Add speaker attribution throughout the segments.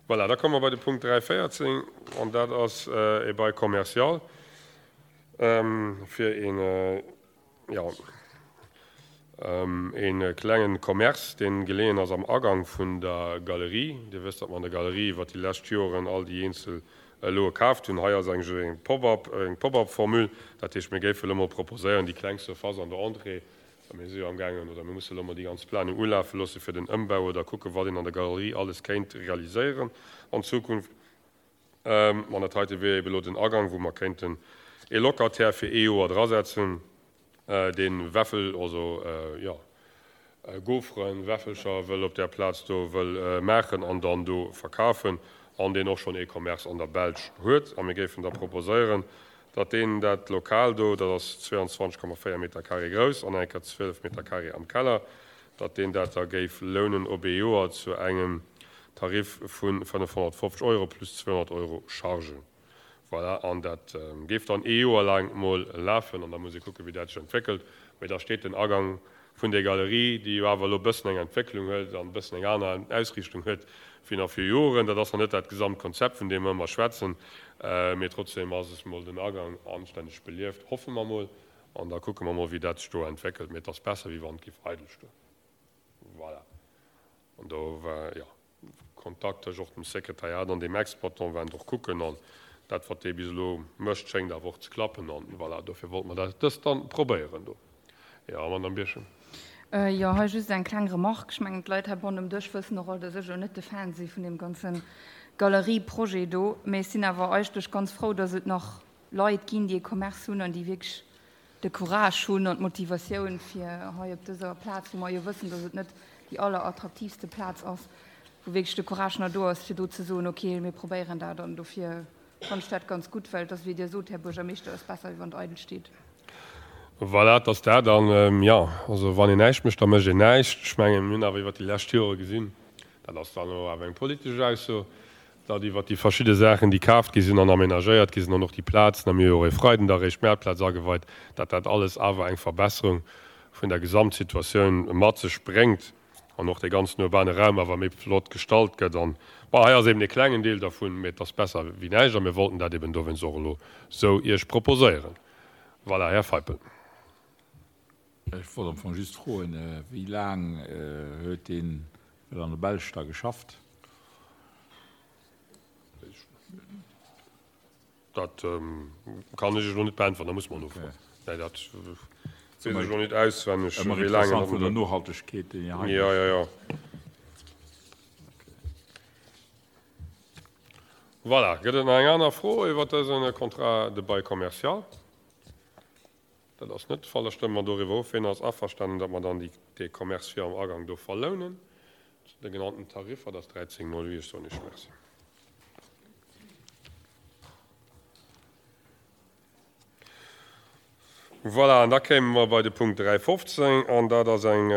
Speaker 1: Voilà, da komme mer bei de Punkt 3.14, an dat ass e Bail commercial fir een, jo, ee klengen Commerce, dee geleeën ass am Agang vun der Galerie. Dir wësst, datt mer an der Galerie iwwert déi lescht Joren all déi eenzel Loe kaaft hunn. Hei ass eigentlech eng Pop-up, eng Pop-up-Formule. Dat heescht, mir géife elo mol proposéieren, déi kleng Surface an der Entrée, mir si jo amgaangen oder mir musse elo mol déi ganz Planung ulafe loosse fir den Ëmbau oder kucken, wat een an der Galerie alles kéint realiséieren an Zukunft. An dat heite wier ebe elo den Agang, wou mer kéinten ee Locataire fir ee Joer drasetzen, dee Wäffel, also jo, Gauferen, Wäffelcher wëll op där Plaz do wëll maachen an dann do verkafen an deen och schonn ee Commerce an der Belsch huet. A mir géifen da proposéieren, datt deen dat Lokal do, dat ass 22,4 Meter carré grouss an eng Kéier 12 Meter carré am Keller, datt deen dat da géif lounen op ee Joer zu engem Tarif vu 550 Euro plus 200 Euro Chargen. Voilà, an dat géif dann ee Joer laang mol lafen an da muss ee kucken, wéi dat sech entwéckelt. Mee da steet den Agang vun där Galerie, déi jo awer elo e bëssen eng Entwécklung huet an e bëssen eng aner Ausriichtung huet wéi nach viru Joren. Dat ass nach net dat Gesamtkonzept, vun deem mer ëmmer schwätzen, mee trotzdem ass es mol den Agang anstänneg belieft, hoffe mer mol. An da kucke mer mol, wéi dat sech do entwéckelt. Mee et ass besser, wéi wann et géif eidel stoen. Voilà. An do war, jo, Kontakt tëscht och dem Sekretariat an deem Exploitant, waren och kucken. An dat, wat dee bis elo mécht, schéngt awer och ze klappen. An voilà, dofir wollte mer dat dëst dann probéieren do. Jo, Madamm Birchen.
Speaker 2: Jo, hei just eng kleng Remarque. Ech mengen, d'Leit heibannen um Dësch wëssen och all, dass ech elo net de Fan si vun deem ganze Galerieprojet do. Mee ech sinn awer eigentlech ganz frou, dass et nach Leit ginn, déi e Commerce hunn an déi wierklech de Courage hunn an d'Motivatioun, fir hei op dëser Plaz, wou mer jo wëssen, dass et net déi allerattraktiivste Plaz ass, wou wierklech de Courage nach do ass, fir do ze soen, okay, mir probéieren dat. An dofir fannen ech dat ganz gutt, well et ass, wéi Dir sot, Här Buergermeeschter, et ass besser, wéi wann et eidel steet.
Speaker 1: Voilà, et ass dat. An, jo, also wann een näischt mécht, da mécht een näischt. Ech mengen, mir hunn awer iwwert déi lescht Jore gesinn, dat ass dann elo awer eng politesch Ausso, datt iwwert déi verschidde Saachen, déi kaaft gi sinn an aménagéiert gi sinn an och déi Plazen, a mir hu jo och e Freiden da réischt d'Maartplaz ageweit, datt dat alles awer eng Verbesserung vun der Gesamtsituatioun mat sech bréngt an och dee ganzen urbane Raum awer méi flott gestalt gëtt. An, bon, hei ass eben e klengen Deel dervun, mee et ass besser wéi näischt a mir wollten dat eben dowéinst och elo sou Iech proposéieren. Voilà, Här Feipel.
Speaker 3: Ech wollt am Fong just froen, wéi laang huet deen well an der Belsch da geschafft?
Speaker 1: Dat kann ech elo net beäntweren, da muss mer nofroen. Nee, dat weess ech elo net auswenneg,
Speaker 3: Ëmmer
Speaker 1: wéi laang en
Speaker 3: interessant vun der Nohaltegkeet, déi hei.
Speaker 1: Jo, jo, jo. Voilà, gëtt et nach eng aner Fro iwwer dëse Contrat de bail commercial? Dat ass net de Fall. Da stëmme mer doriwwer of. Ween ass averstanen, datt mer dann déi, dee Commerce fir am Agang do verlounen zu de genannten Tariffer? Dat ass 13,08. Ech soen Iech Merci. Voilà, an da kéime mer bei de Punkt 3,15, an dat ass eng,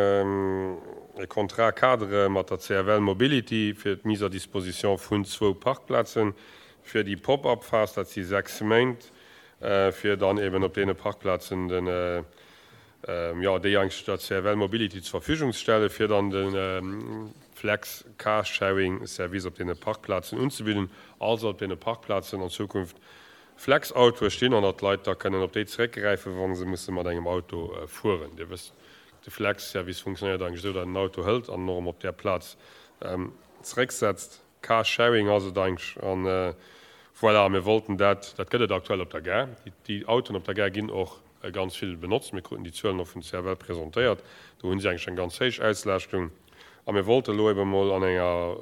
Speaker 1: e Contrat-cadre mat der CFL Mobility fir d'Mise à disposition vun zwou Parkplazen fir déi Pop-up-Phas, dat si sechs Méint, fir dann eben op deene Parkplazen den, jo, déi eigentlech der CFL Mobility zur Verfügung ze stellen, fir dann de Flex Carsharing Service op deene Parkplazen unzebidden, also op deene Parkplazen an Zukunft Flex-Autoe stinn an datt d'Leit da kënnen op déi zeréckgräifen, wa se musse mat engem Auto fueren. Dir wësst, de Flex-Service funktionéiert eigentlech esou, datt een den Auto hëlt an en och erëm op där Plaz zerécksetzt. Car Sharing ass et eigentlech. An voilà, mir wollten dat, dat gëtt et aktuell op der Gare. Déi Autoen op der Gare ginn och ganz vill benotzt. Mir kruten déi Zuelen och vun CFL presentéiert. Do hu si eigentlech eng ganz héich Auslaaschtung. A mir wollte elo ebe mol an enger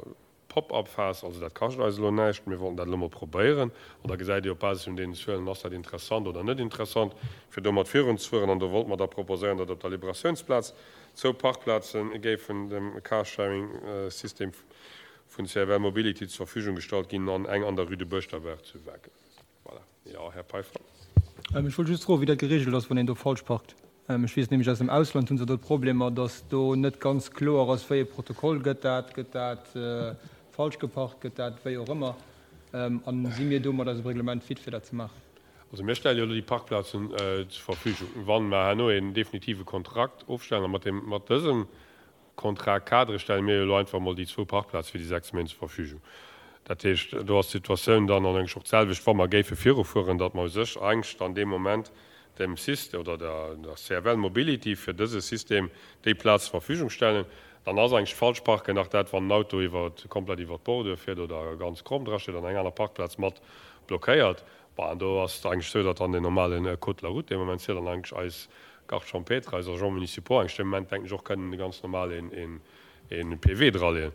Speaker 1: Pop-up-Phas, also dat kascht eis elo näischt, mir wollten dat elo mol probéieren. An da gesäit Dir op Basis vun deenen Zuelen, ass dat interessant oder net interessant, fir domat virunzefueren. An do wollte mer da proposéieren, datt op der Liberatiounsplaz zwou Parkplaze géifen dem Carsharing-System vun CFL Mobility zur Verfügung gestallt ginn an eng an der Rue de Buerschterberg zu Wagel. Voilà. Jo, Här Peiffer.
Speaker 4: Ech wollt just froen, wéi dat geregelt ass, wann een do falsch parkt. Ech weess nämlech, aus dem Ausland hu se do Problemer, datt do net ganz kloer ass, wéi e Protokoll gëtt dat, gëtt dat falsch geparkt, gëtt dat wéi och ëmmer. A si mir do mat eisem Reglement fit, fir dat ze maachen?
Speaker 1: Also mir stelle jo elo déi Parkplazen zur Verfügung. Wa mer herno een definitive Kontrakt ofstellen, a mat deem, mat dësem Contrat cadre stelle mir jo elo einfach emol déi zwou Parkplaze fir déi 6 Méint zur Verfügung. Dat heescht, do ass d'Situatioun dann an engem och d'selwecht, wa mer géife virufueren, datt mer u sech eigentlech dann dee Moment dem System oder der CFL Mobility fir dëse System déi Plaz zur Verfügung stellen. Dann ass eigentlech d'Falschparken nach dat, wann en Auto iwwer, komplett iwwer d'Bordure fiert oder ganz kromm drasteet an eng aner Parkplaz mat blockéiert. Bon, an do ass et eigentlech esou, datt dann deen normale Code de la route dee Moment zielt an eigentlech eis Gardes champêtres, eis Agents municipaux eigentlech dee Moment, denken ech, och kënnen de ganz normal een een PV draleeën.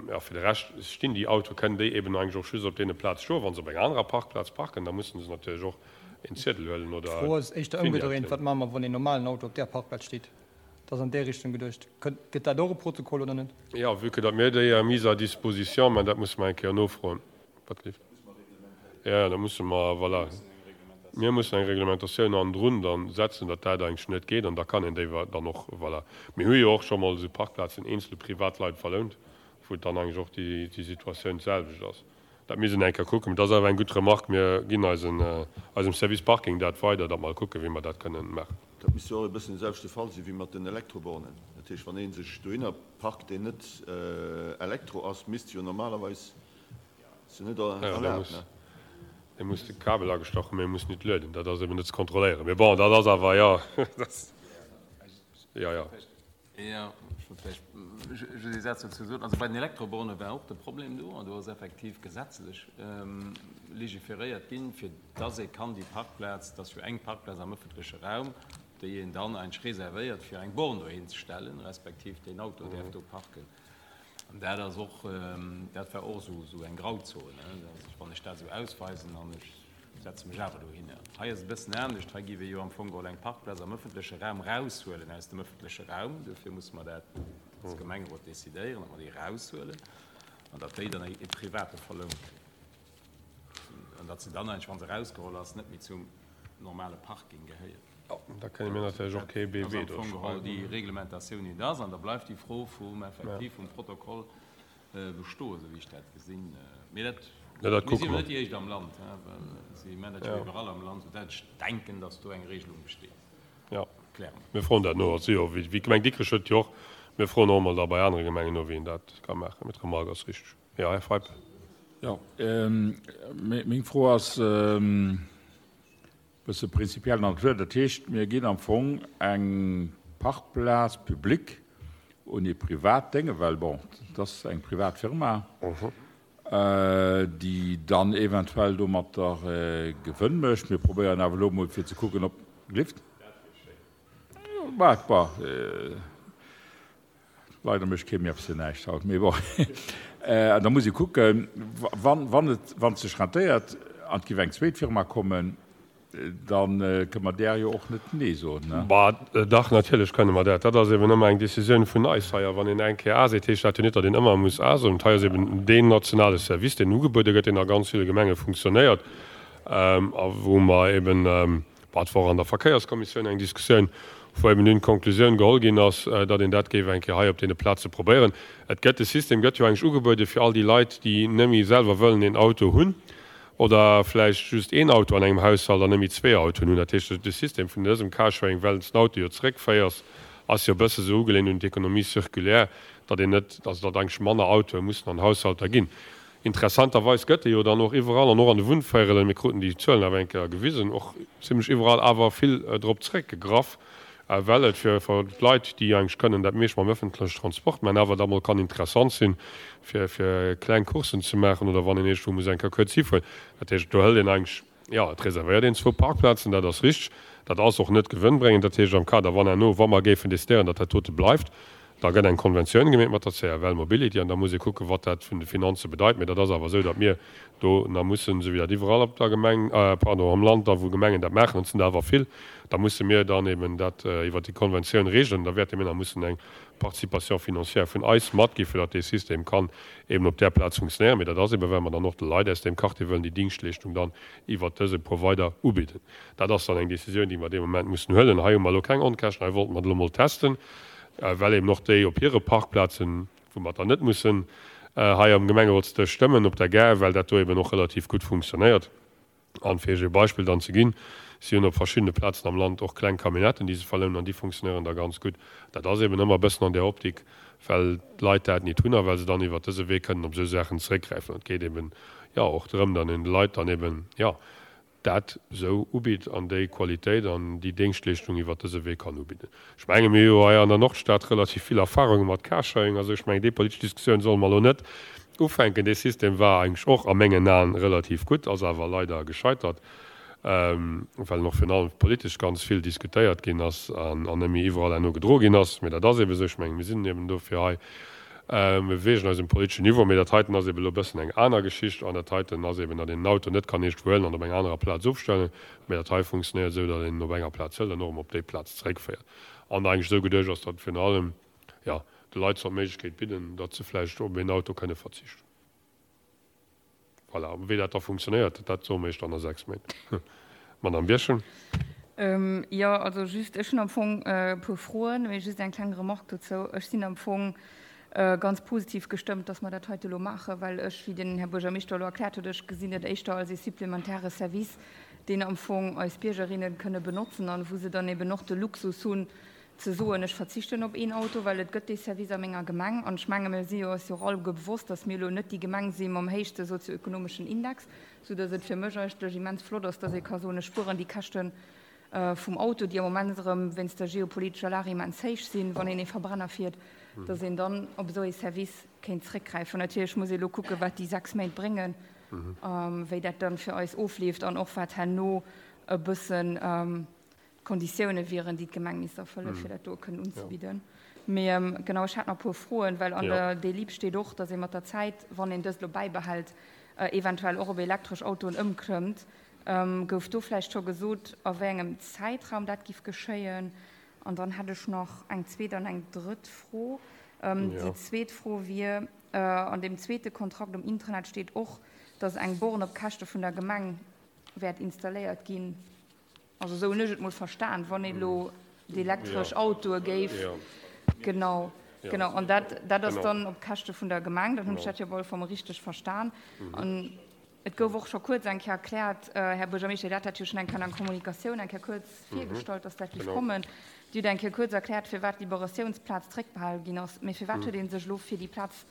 Speaker 1: Jo, fir de Rescht stinn déi Autoe, kënnen déi eben eigentlech och just op deene Plaz stoen. Wa se op enger anerer Parkplaz parken, da mussen se natierlech och een Ziedel huelen oder
Speaker 4: D'Fro ass éischter ëmgedréint, Wat maache mer, wann een normalen Auto op där Parkplaz steet? Dat ass an där Richtung geduecht. Gëtt dat och e Protokoll oder net?
Speaker 1: Jo, vue que datt mir déi Mise à disposition, mä dat musse mer eng Kéier nofroen. Wat leeft? Jo, da musse mer, voilà, mir mussen eng Reglementatioun hannendrun dann setzen, datt dat eigentlech net geet an da kann een déi dann och, voilà. Mir hu jo och scho mol esou Parkplazen eenzele Privatleit verlount, wou et dann eigentlech och déi Situatioun d'selwecht ass. Dat misst een eng Kéier kucken. Mee dat ass awer eng gutt Remarque. Mir ginn eisen, eisem Service Parking dat weider, datt mer kucken, wéi mer dat kënnen maachen.
Speaker 5: Dat misst jo och e bëssen de selwechte Fall si wéi mat den Elektrobornen. Dat heescht, wann ee sech dohinner parkt, deen net Elektro ass, misst jo normalerweis Se net erlaabt, ne?
Speaker 1: E muss de Kabel agestach hunn, mee e muss nit lueden. Dat ass eben net ze kontrolléieren. Mee bon, dat ass awer, jo, jo, jo.
Speaker 6: Jo, ech wollt vläicht just ee Saz dozou soen. Also bei den Elektroborne war och de Problem do, an do ass effektiv gesetzlech legiferéiert ginn, fir dass ee kann déi Parkplaz, dat ass jo eng Parkplaz am ëffentleche Raum, déi een dann eigentlech reservéiert, fir eng Born dohin ze stellen, respektiv deen Auto däerf do parken. An dat ass och, dat war och esou, esou eng Grauzon, wann ech dat esou ausweisen an ech setze mech awer dohinner. Hei ass et e bëssen anescht, hei géif ee jo am Fong geholl eng Parkplaz am ëffentleche Raum raushuelen aus dem ëffentleche Raum. Dofir musse mer dat als Gemengerot decidéieren, datt mer déi raushuelen an datt déi dann e Private verlount kritt. An datt se dann eigentlech, wa se erausgeholl ass, net méi zum normale Parking gehéiert.
Speaker 1: Jo, da kënne mir natierlech och kee BW do schreiwen.
Speaker 6: Ass am Fong geholl déi Reglementatioun, déi et ass. An da bleift déi Fro vum effektiv vum Protokoll bestoen, esou wéi ech dat gesinn. Mee dat,
Speaker 1: dat
Speaker 6: mir si jo net déi éischt am Land, well si maachen dat jo iwwerall am Land, soudatt ech denken, datt do eng Regelung besteet.
Speaker 1: Jo, mir froen dat no. Also jo, wéi d'Gemeng Dikrech huet jo och. Mir froen och emol da bei anere Gemengen no, wéi een dat ka maachen. Mee d'Remarque ass richteg. Jo, Här Feib.
Speaker 3: Jo, meng Fro ass e bësse prinzipiell Natur. Dat heescht, mir ginn am Fong eng Parkplaz publique un ee privat Dénge, well bon, et ass eng privat Firma, déi dann eventuell domatter Gewënn mécht. Mir probéieren awer elo emol fir ze kucken, ob. Gelift? Bon. Leider mécht kee méi eppes fir näischt haut, mee bon. An da muss ee kucken, wann, wann et, wann et sech rentéiert an et géif eng zweet Firma kommen, da kënne mer där jo och net Nee soen, ne?
Speaker 1: Bah, dach, natierlech kënne mer dat. Dat ass eben ëmmer eng Décisioun vun eis hei. A wann een eng Kéier A seet, heescht dat jo net, datt een ëmmer muss A soen. Hei ass eben deen nationale Service, deen ugebuede gëtt, deen a ganz ville Gemenge funktionéiert a wou mer eben, Bon, et war och an der Verkéierskommissioun eng Diskussioun, wou eben dunn d'Konklusioun geholl ginn ass, datt een dat géif eng Kéier hei op deene Plaze probéieren. Et gëtt, de System gëtt jo eigentlech ugebuede fir all déi Leit, déi net méi selwer wëllen een Auto hunn oder vläicht just een Auto an engem Haushalt an net méi zwee Autoen hunn. Dat heescht, de System vun dësem Carsharing, well s den Auto jo zeréckféiers, ass jo e bësse sou ugelehnt un d'Économie circulaire, datt een net, also datt eigentlech manner Autoe mussen an Haushalter ginn. Interessanterweis gëtt e jo dann och iwwerall, an och an de Wunnvéierelen, mir kruten déi Zuelen awer eng Kéier gewisen, och zimlech iwwerall awer vill drop zeréckgegraff, well et fir d'Leit, déi eigentlech kënnen dat meescht mam öffentlechen Transport maachen, awer da mol kann interessant sinn, fir fir kleng Coursen ze maachen oder wann een iergendwou muss eng Kéier kuerz hifueren. Dat heescht, do hëlt een eigentlech Jo, et reservéiert een zwou Parkplazen, dat ass richteg. Dat ass och net gewënnbréngend. Dat heescht, am Kader, wann herno, wa mer géifen decidéieren, datt dat dote bleift, da gëtt eng Konventioun gemeet mat der CFL Mobility an da muss ee kucken, wat dat vun de Finanze bedeit. Mee dat ass awer esou, datt mir do nach mussen, esou wéi dat iwwerall op der Gemeng, pardon, am Land da wou Gemengen dat maachen, an et sinn der awer vill, da musse mir dann eben dat iwwert déi Konventioun regeln. Da wäerte mir nach mussen eng Participation financière vun eis matgi fir datt dee System kann eben op där Plaz funktionéieren. Mee dat ass eben, well mer dann och de Leit aus deem Quartier wëllen déi Dingschtleeschtung dann iwwert dëse Provider ubidden. Dat ass dann eng Décisioun, déi mer dee Moment mussen huelen. Hei hu mer elo keng Onkäschten, hei wollten mer et elo mol testen, well eben och déi op hire Parkplazen, wou mer dann net mussen hei am Gemengerotsdësch stëmmen, op der Gare, well dat do eben och relativ gutt funktionéiert. An fir Iech e Beispill dann ze ginn, Si hunn op verschiddene Plazen am Land och kleng Camionnetten, déi se verlounen, an déi funktionéieren da ganz gutt. Dat ass eben ëmmer e bëssen an där Optik. Well d'Leit dat nit hunn a well se dann iwwert dëse Wee kënnen op esou Saachen zeréckgräifen. Et geet eben, jo, och drëm, datt een de Leit dann eben, jo, dat esou ubitt an déi Qualitéit an déi Déngschtleeschtung iwwert dëse Wee kann ubidden. Ech menge mir hu jo hei an der Nordstad relativ vill Erfahrunge mat Carsharing a sou. Ech mengen, déi politesch Diskussioun solle mer elo net ufänken. Dee System war eigentlech och a mengen Aen relativ gutt, ass awer leider gescheitert, well en och virun allem politesch ganz vill diskutéiert ginn ass an net méi iwwerall herno gedro ginn ass. Mee dat ass eebe sou. Ech mengen, mir sinn eben dofir hei. Mir beweegen eis um politeschen Niveau, mee dat heiten ass eben elo e bëssen eng aner Geschicht. An dat heiten ass eben, datt een den Auto net kann iergendwou huelen an op enger anerer Plaz ofstellen, mee dat hei funktionéiert esou, datt een en op enger Plaz hëlt an och erëm op déi Plaz zeréckféiert. An eigentlech esou geduecht ass, datt virun allem, jo, de Leit soll d'Méiglechkeet bidden, datt se vläicht op een Auto kënne verzichten. Voilà, wéi dat da funktionéiert, dat soe mir Iech dann a 6 Méint. Madamm Birchen.
Speaker 2: Jo, also just, ech hunn am Fong e puer Froen, mee just eng kleng Remarque dozou. Ech sinn am Fong ganz positiv gestëmmt, dass mer dat heite elo maachen, well ech, wéi den Här Buergermeeschter elo erkläert huet, ech gesinn et éischter als ee supplementäre Service, deen am Fong eis Biergerinnen kënne benotzen an wou se dann eben och de Luxus hunn, ze soen, ech verzichten op een Auto, well et gëtt dee Service a menger Gemeng. An ech menge mir si jo eis jo och alleguer bewosst, datt mir elo net déi Gemeng si mam héichste sozioökonomeschen Index, soudatt et fir mech eigentlech immens flott ass, datt ee ka soen, ech spueren déi Käschte vum Auto, déi am Moment erëm wéinst der geopolitescher Lag immens héich sinn, wann een ee Verbrenner fiert, datt een dann op esou ee Service kéint zréckgräifen. Natierlech muss ee elo kucken, wat déi 6 Méint bréngen, wéi dat dann fir eis ofleeft an och wat herno e bëssen d'Konditioune wieren, déi d'Gemeng misst erfëllen, fir dat do kënnen unzebidden. Mee genau, ech hat nach e puer Froen, well an der Délib steet och, datt ee mat der Zäit, wann een dëst elo bäibehält, eventuell och op elektresch Autoen ëmklëmmt. Gouf do vläicht scho gesot, a wéi engem Zäitraum dat giff geschéien? An dann hätt ech nach eng zweet an eng drëtt Fro. Déi zweet Fro wier, An deem zweete Kontrakt um Intranet steet och, datt eng Born op Käschte vun der Gemeng wäert installéiert ginn. Also esou hunn ech et mol verstan, wann een elo d'elektresch Autoe géif, genau, genau, an dat, dat ass dann op Käschte vun der Gemeng, dann hunn ech dat jo op alle Fall mol richteg verstan. An et gouf och scho kuerz eng Kéier erkläert, Här Buergermeeschter, Dir hat dat jo schonn eng Kéier an der Kommunikatioun eng Kéier kuerz virgestallt, dass dat géif kommen. Dir hutt eng Kéier kuerz erkläert, firwat d'Liberatiounsplaz zréckbehale ginn ass. Mee firwat huet ee sech elo fir déi Plaz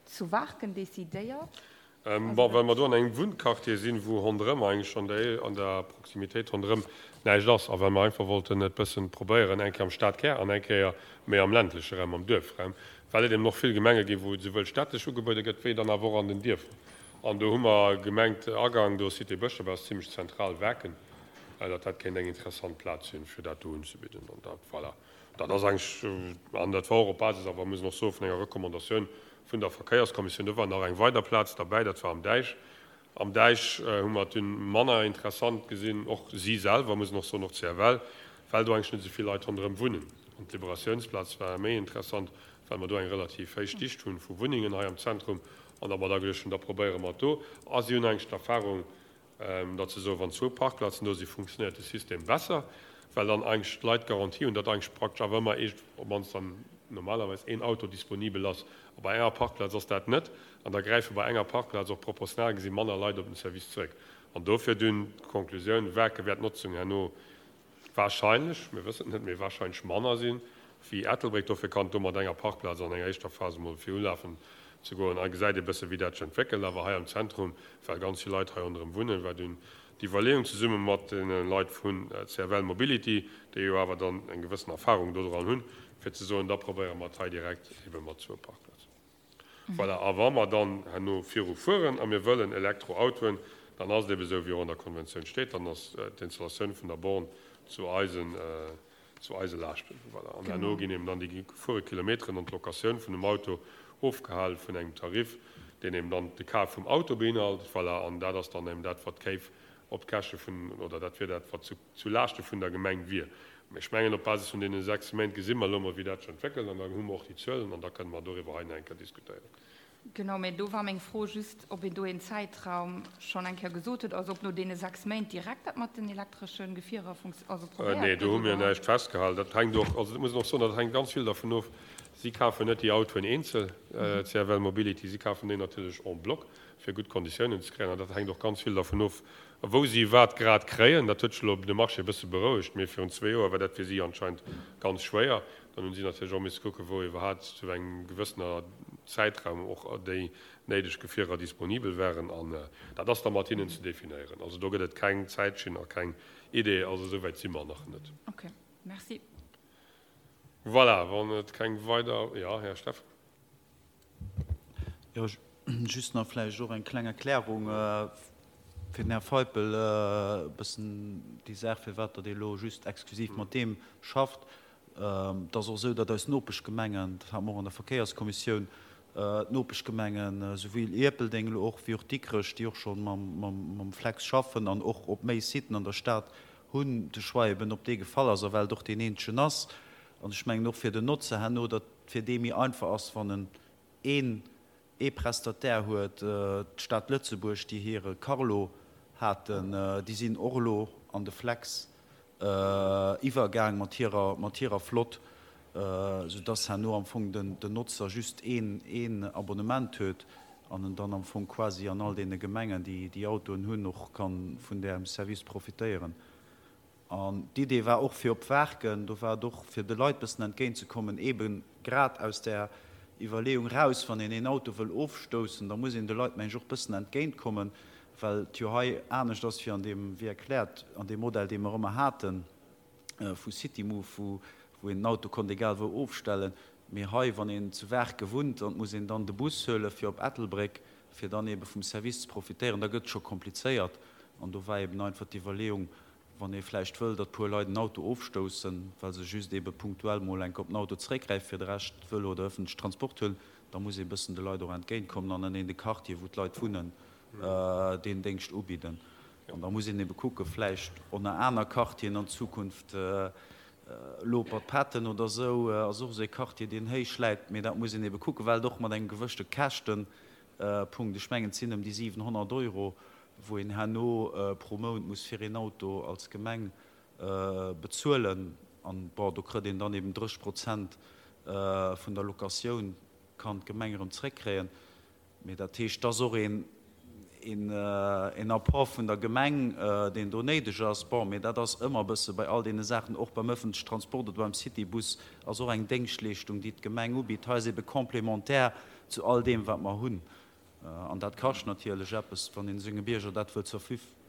Speaker 2: zu Waarken decidéiert?
Speaker 1: Bon, well mer do an engem Wunnquartier sinn, wou ronderëm eigentlech an der, an der Proximitéit ronderëm näischt ass a well mer einfach wollten et bëssen probéieren, eng Kéier am Stadkär an eng Kéier méi am ländleche Raum, am Duerfraum, well et eben och vill Gemenge ginn, wou et esouwuel städtesch ugebuede gëtt, wéi dann awer och an den Dierfer. An do hu mer gemengt, Agang do Cité Bëschdref ass zimlech zentral, Waarken, datt dat kéint eng interessant Plaz sinn, fir dat do unzebidden. An dat, voilà, dat ass eigentlech, an dat war och op Basis awer, muss een och soen, vun enger Recommandatioun Vun der Verkéierskommissioun. Do war nach eng weider Plaz derbäi, dat war am Däich. Am Däich hu mer et dunn manner interessant gesinn, och si selwer, muss een och soen, och d'CFL, well do eigentlech net esou vill Leit ronderëm wunnen. An d'Liberatiounsplaz war méi interessant, well mer do eng relativ héich Dicht hu vu Wunnengen hei am Zentrum an datt mer da geduecht hunn, da probéiere mer et do. A si hunn eigentlech d'Erfahrung, datt se soen, wann zwou Parkplazen do sinn, funktionéiert de System besser, well dann eigentlech d'Leit d'Garantie hunn, datt eigentlech praktesch awer ëmmer eescht, op d'mannst dann normalerweis een Auto disponibel ass. A bei enger Parkplaz ass dat net. An da gräife bei enger Parkplaz och proportional gesi manner Leit op den Service zréck. An dofir dunn d'Konklusioun, Waarke wäert d'Notzung herno Wahrscheinlech, mir wëssen et net, mee wahrscheinlech manner sinn wéi Ettelbréck. Dofir kann et do mat enger Parkplaz an enger éischter Phas emol virulafen ze goen. A gesäit ee bësse wéi dat sech entwéckelt. Awer hei am Zentrum, well ganz vill Leit hei ronderëm wunnen, war dunn d'Iwwerleeung zesumme mat deene Leit vun CFL Mobility, déi jo awer dann eng gewëssen Erfahrung dodran hunn, fir ze soen, da probéiere mer et hei direkt ebe mat zwou Parkplazen. Voilà, a wa mer dann herno viru fueren a mir wëllen Elektroautoen, dann ass et ebe sou, wéi och an der Konventioun steet, dann ass d'Installatioun vun der Born zu eisen, zu eise Laaschten. Voilà, an herno ginn eben dann déi gefuere Kilometeren an d'Locatioun vun dem Auto ofgehale vun engem Tarif, deen eben dann de Kaf vum Auto beinhalt. Voilà, an dat ass dann eben dat, wat d'Kéif op d'Käschte vun, oder dat wier dat, wat zu. zu Laaschte vun der Gemeng wier. Mä ech mengen, op Basis vun deene 6 Méint gesi mer elo mol, wéi dat sech entwéckelt, an dann hu mer och déi Zuelen an da kënne mer doriwwer hei nach eng Kéier diskutéieren.
Speaker 2: Genau, mä do war meng Fro just, ob een do een Zäitraum schonn eng Kéier gesot huet, also ob no deene 6 Méint direkt dat mat den elektresche Gefierer also probéiert
Speaker 1: Nee, do hu mir näischt festgehalen. Dat hänkt och, also dat muss een och soen, dat hänkt ganz vill dervun of. Si kafen net déi Autoen eenzel, CFL Mobility, si kafen déi natierlech en bloc, fir gutt Konditiounen ze kréien. An dat hänkt och ganz vill dervun of, wou si wat grad kréien. Dat huet sech elo de Marché e bësse berouegt, mee virun zwee Joer war dat fir si anscheinend ganz schwéier. Dann hunn si natierlech och misse kucken, wou iwwerhaapt zu engem gewëssener Zäitraum och déi néideg Gefierer disponibel waren. An dat ass da mat hinnen ze definéieren. Also do gëtt et keng Zäitschinn a keng Idee. Also esou wäit si mer nach net.
Speaker 2: Okay, merci.
Speaker 1: Voilà, wann et keng weider, jo, Här Steffen.
Speaker 7: Jo, just nach vläicht och eng kleng Erklärung fir den Här Feipel, e bëssen déi Saach, firwat datt ee elo just exklusiv mat deem schafft. Et ass och esou, datt eis Nopeschgemengen, dat hate mer och an der Verkéierskommissioun, d'Nopeschgemengen, esouwuel Ierpeldeng elo och wéi och Dikrech, déi och scho mam Flex schaffen an och op méi Siten an der Stad hunn, de Choix eben op dee gefall ass, a well et och deen eenzegen ass. An ech mengen och fir den Notzer herno, datt et fir dee méi einfach ass, wann en een ee Prestataire huet. D'Stad Lëtzebuerg, déi hire Carlo haten, déi sinn och elo an de Flex iwwergaang mat hirer, mat hirer Flott, soudass herno am Fong den, den Notzer just een, een Abonnement huet an en dann am Fong quasi an all deene Gemengen, déi déi Autoen hunn, och ka vun däerem Service profitéieren. An d'Idee war och fir op Waarken, do war et och fir de Leit bëssen entgéint ze kommen, eebe grad aus där Iwwerleeung raus, wann een een Auto wëll ofstoussen, da muss een de Leit, meng ech, och bëssen entgéint kommen, well et jo hei anescht ass wéi an deem, wéi erkläert, an deem Modell, dee mer ëmmer hate vu Citymove, wou wou een den Auto konnt egal wou ofstellen. Mee hei, wann een zu Waarke wunnt an et muss een dann de Bus huele fir op Ettelbréck, fir dann eebe vum Service ze profitéieren, da gëtt et scho komplizéiert. An do war eeben einfach d'Iwwerleeung, wann ee vläicht wëll, datt puer Leit en Auto ofstoussen, well se just eebe punktuell mol enk op den Auto zeréckgräifen, fir de Rescht Vëlo oder ëffentlechen Transport huelen, da muss ee bëssen de Leit och entgéintkommen an an deene Quartieren, wou d'Leit wunnen, deen Déngscht ubidden. An da muss een ebe kucken, vläicht och nach aner Quartieren an Zukunft, Lopert-Patton oder esou ass och esou ee Quartier, deen héich läit, mee dat muss een ebe kucken, well et och mat engem gewëschte Käschtepunkt, ech mengen et sinn ëm déi 700 Euro, wou een herno pro Mount muss fir een Auto als Gemeng bezuelen. An, bon, do kritt een dann eben 30 Prozent vun der Locatioun kann d'Gemeng erëm zréckkréien. Mee dat heescht, et ass och een Apport vun der Gemeng, deen do néideg ass. Bon, mee dat ass ëmmer e bësse bei all deene Saachen, och beim ëffentlechen Transport oder beim Citybus ass och eng Déngschtleeschtung, déi d'Gemeng ubitt. Hei ass ebe complémentaire zu all deem, wat mer hunn. An dat kascht natierlech eppes, wann ee senge Bierger dat wëllt zur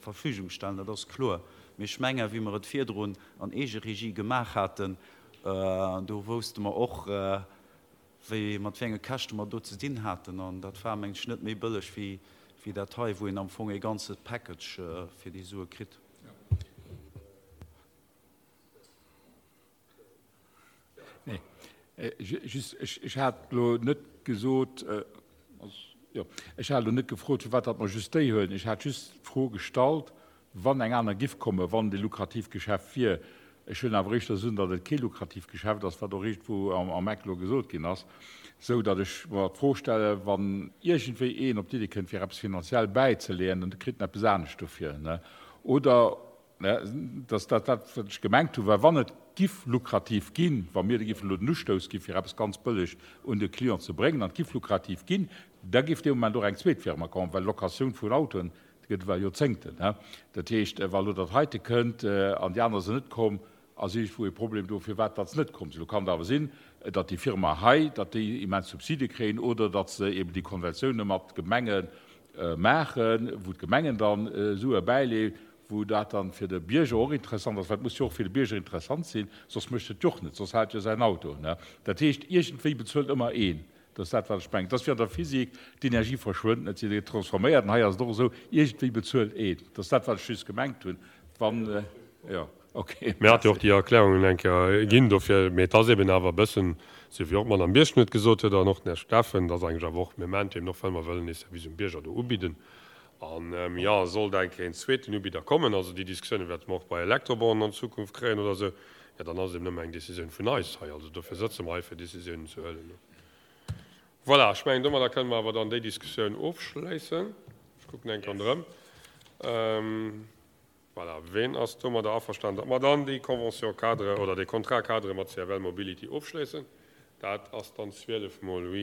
Speaker 7: Verfügung stellen, dat ass kloer. Mee ech mengen, wéi mer et virdrun an Eegeregie gemaach haten, do wousste mer och, wéi, mat wéi enge Käschte mer do ze dinn haten. An dat war, mengen ech, net méi bëlleg wéi, wéi dat hei, wou een am Fong ee ganze Package fir déi Sue kritt.
Speaker 3: Nee, just, ech hat elo net gesot, jo, ech hat elo net gefrot, firwat datt mer just déi huelen. Ech hat just d'Fro gestallt, wann eng aner giff kommen, wann et e lukrativt Geschäft wier. Ech huelen awer éischter un, datt et kee lukrativt Geschäft ass, wat och iergendwou am Eck elo gesot ginn ass, esou datt ech mer d'Fro stellen, wann iergendwéi een op d'Iddi kënnt, fir eppes finanziell bäizeleeën, dann kritt en eppes anescht dofir, oder Dass dat dat, wat ech gemengt hunn, well wann et giff lukrativ ginn, wa mir giffen elo den Ustouss gi fir eppes ganz bëlleg un de Client ze bréngen, an et giff lukrativ ginn, da giff dee Moment och eng zweet Firma kommen, well Locatioun vun Autoen, déi gëtt ewell Joerzéngten. Dat heescht, wa elo dat heite kënnt an déi aner sinn net komm, ass iergendwou e Problem do, firwat datt se net komm sinn. Elo kann et awer sinn, datt déi Firma hei, datt déi immens Subside kréien oder datt se eben déi Konventioune mat Gemenge maachen, wou d'Gemengen dann Sue bäileeën, wou dat dann fir de Bierger och interessant ass, well et muss jo och fir de Bierger interessant sinn, soss mécht et jo och net, soss hält jo säin Auto. Dat heescht, iergendwéi bezuelt ëmmer een. Dat ass dat, wat ech mengen. Et ass wéi an der Physik, d'Energie verschwënnt net, si gëtt transforméiert. An hei ass et och esou, iergendwéi bezuelt een. Dat ass dat, wat ech just gemengt hunn. Wann, jo, okay.
Speaker 1: Mir hate jo och déi Erklärungen eng Kéier ginn dofir. Mee et ass eben awer e bëssen, esou wéi och d'Madame Birchen et gesot huet an och den Här Steffen, et ass eigentlech awer och, mir maachen et eben och, well mer wëllen ee Service um Bierger do ubidden. An, jo, sollt eng Kéier een zweeten Ubidder kommen, also déi Diskussioune wäerte mer och bei Elektrobornen an Zukunft kréien oder esou, jo, dann ass et eben nëmme eng Décisioun vun eis hei. Also dofir sëtze mer hei, fir Décisiounen ze huelen. Voilà, ech mengen, domadder kënne mer awer dann déi Diskussioun ofschléissen. Ech kucken eng Kéier ronderëm. Voilà, ween ass domadder averstanen, datt mer dann déi Convention-cadre oder dee Contrat-cadre mat CFL Mobility ofschléissen? Dat ass dann 12 mol, oui.